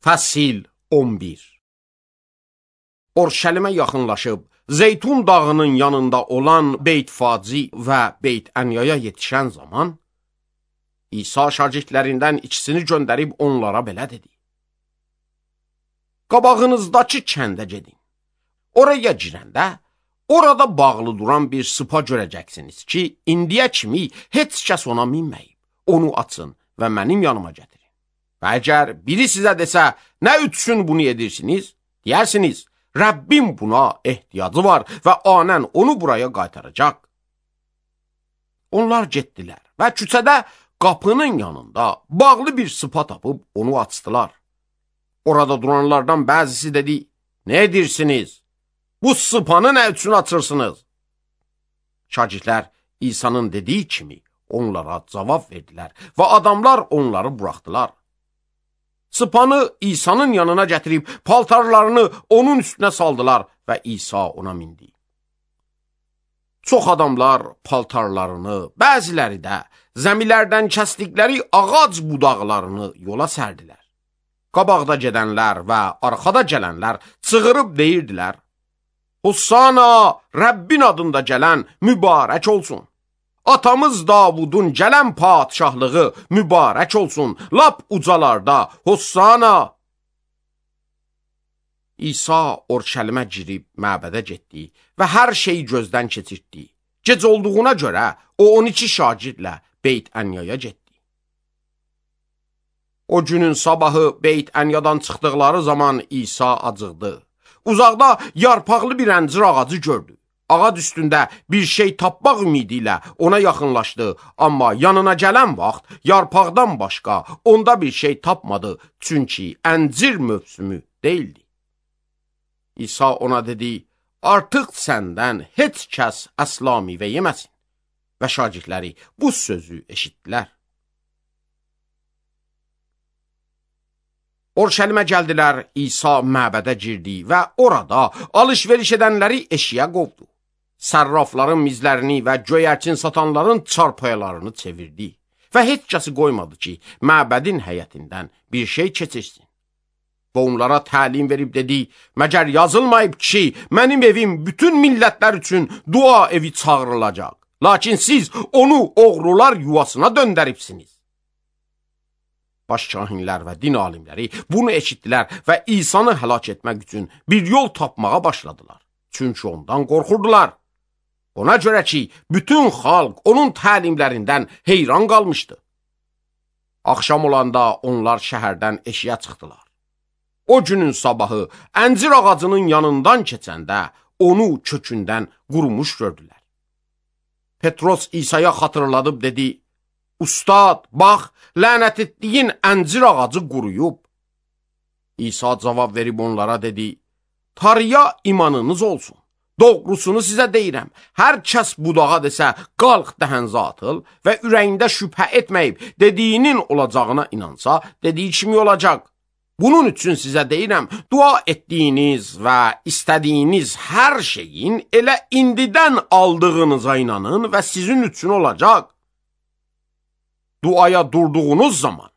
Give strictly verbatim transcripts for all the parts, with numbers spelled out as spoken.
Fəsil on bir. Orşəlimə yaxınlaşıb, Zeytun dağının yanında olan Beyt-Faci və Beyt-Ənyaya yetişən zaman, İsa şagirdlərindən ikisini göndərib onlara belə dedi: Qabağınızdakı kəndə gedin. Oraya girəndə, orada bağlı duran bir sıpa görəcəksiniz ki, indiyə kimi heç kəs ona minməyib. Onu açın və mənim yanıma gətirin. Və əgər biri sizə desə, nə üçün bunu edirsiniz? Deyərsiniz, Rəbbim buna ehtiyacı var və anən onu buraya qaytaracaq. Onlar getdilər və küçədə qapının yanında bağlı bir sıpa tapıb onu açdılar. Orada duranlardan bəzisi dedi, nə edirsiniz? Bu sıpanı nə üçün açırsınız? Şagirdlər İsa'nın dediyi kimi onlara cavab verdilər və adamlar onları buraxdılar. Sıpanı İsa'nın yanına gətirib paltarlarını onun üstünə saldılar və İsa ona mindi. Çox adamlar paltarlarını, bəziləri də zəmilərdən kəsdikləri ağac budaqlarını yola sərdilər. Qabaqda gedənlər və arxada gələnlər çığırıb deyirdilər: Hossana, Rəbbin adında gələn mübarək olsun. Atamız Davudun gələn padişahlığı mübarək olsun. Lap ucalarda, Hossana. İsa Orşəlimə girib məbədə getdi və hər şeyi gözdən keçirtdi. Gec olduğuna görə o on iki şagirdlə Beyt-Ənyaya getdi. O günün sabahı Beyt-Ənyadan çıxdıqları zaman İsa acıqdı. Uzaqda yarpaqlı bir əncir ağacı gördü. Ağac üstündə bir şey tapmaq ümidi ilə ona yaxınlaşdı, amma yanına gələn vaxt yarpaqdan başqa onda bir şey tapmadı, çünki əncir mövsümü deyildi. İsa ona dedi, artıq səndən heç kəs əsla meyvə yeməsin. Və şagirdləri bu sözü eşitdilər. Orşəlimə gəldilər, İsa məbədə girdi və orada alış-veriş edənləri eşiyə qovdu. Sərrafların mizlərini və göyərçin satanların çarpaylarını çevirdi və heç kəsi qoymadı ki, məbədin həyətindən bir şey keçirsin. Və onlara təlim verib dedi, məgər yazılmayıb ki, mənim evim bütün millətlər üçün dua evi çağırılacaq. Lakin siz onu oğrular yuvasına döndəribsiniz. Başkahinlər və din alimləri bunu eşitdilər və İsa'nı həlak etmək üçün bir yol tapmağa başladılar. Çünki ondan qorxurdular. Ona görə ki, bütün xalq onun təlimlərindən heyran qalmışdı. Axşam olanda onlar şəhərdən eşiyə çıxdılar. O günün sabahı əncir ağacının yanından keçəndə onu kökündən qurumuş gördülər. Petros İsa'ya xatırladıb dedi, Ustad, bax, lənət etdiyin əncir ağacı quruyub. İsa cavab verib onlara dedi, Tanrıya imanınız olsun. Doğrusunu sizə deyirəm, hər kəs budağa desə, qalx dəhənzə atıl və ürəyində şübhə etməyib, dediyinin olacağına inansa, dediyi kimi olacaq. Bunun üçün sizə deyirəm, dua etdiyiniz və istədiyiniz hər şeyin elə indidən aldığınıza inanın və sizin üçün olacaq. Duaya durduğunuz zaman,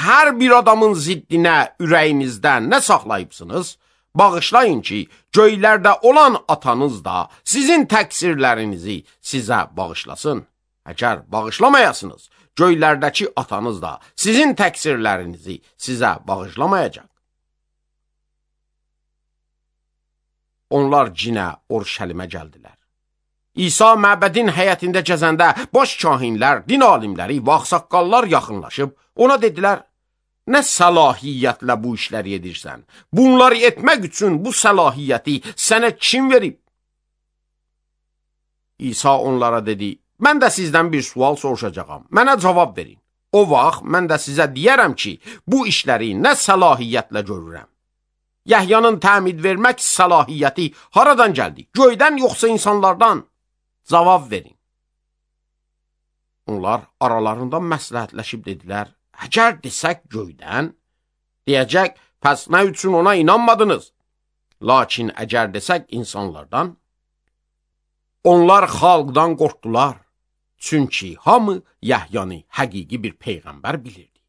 hər bir adamın ziddinə ürəyinizdə nə saxlayıbsınız, bağışlayın ki, göylərdə olan atanız da sizin təqsirlərinizi sizə bağışlasın. Əgər bağışlamayasınız, göylərdəki atanız da sizin təqsirlərinizi sizə bağışlamayacaq. Onlar cinə Orşəlimə gəldilər. İsa məbədin həyətində gəzəndə baş kahinlər, din alimləri və ağsaqqallar yaxınlaşıb ona dedilər, nə səlahiyyətlə bu işləri edirsən? Bunları etmək üçün bu səlahiyyəti sənə kim verib? İsa onlara dedi, mən də sizdən bir sual soruşacağam, mənə cavab verin. O vaxt mən də sizə deyərəm ki, bu işləri nə səlahiyyətlə görürəm? Yəhyanın təmid vermək səlahiyyəti haradan gəldi? Göydən yoxsa insanlardan? Cavab verin. Onlar aralarında məsləhətləşib dedilər, əgər desək göydən, deyəcək, pəs nə üçün ona inanmadınız? Lakin əgər desək insanlardan, onlar xalqdan qorxdular. Çünki hamı Yəhyanı həqiqi bir peyğəmbər bilirdi.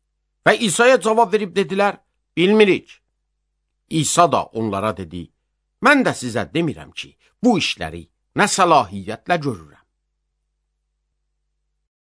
Və İsa'ya cavab verib dedilər, bilmirik. İsa da onlara dedi, mən də sizə demirəm ki, bu işləri nə səlahiyyətlə görürəm.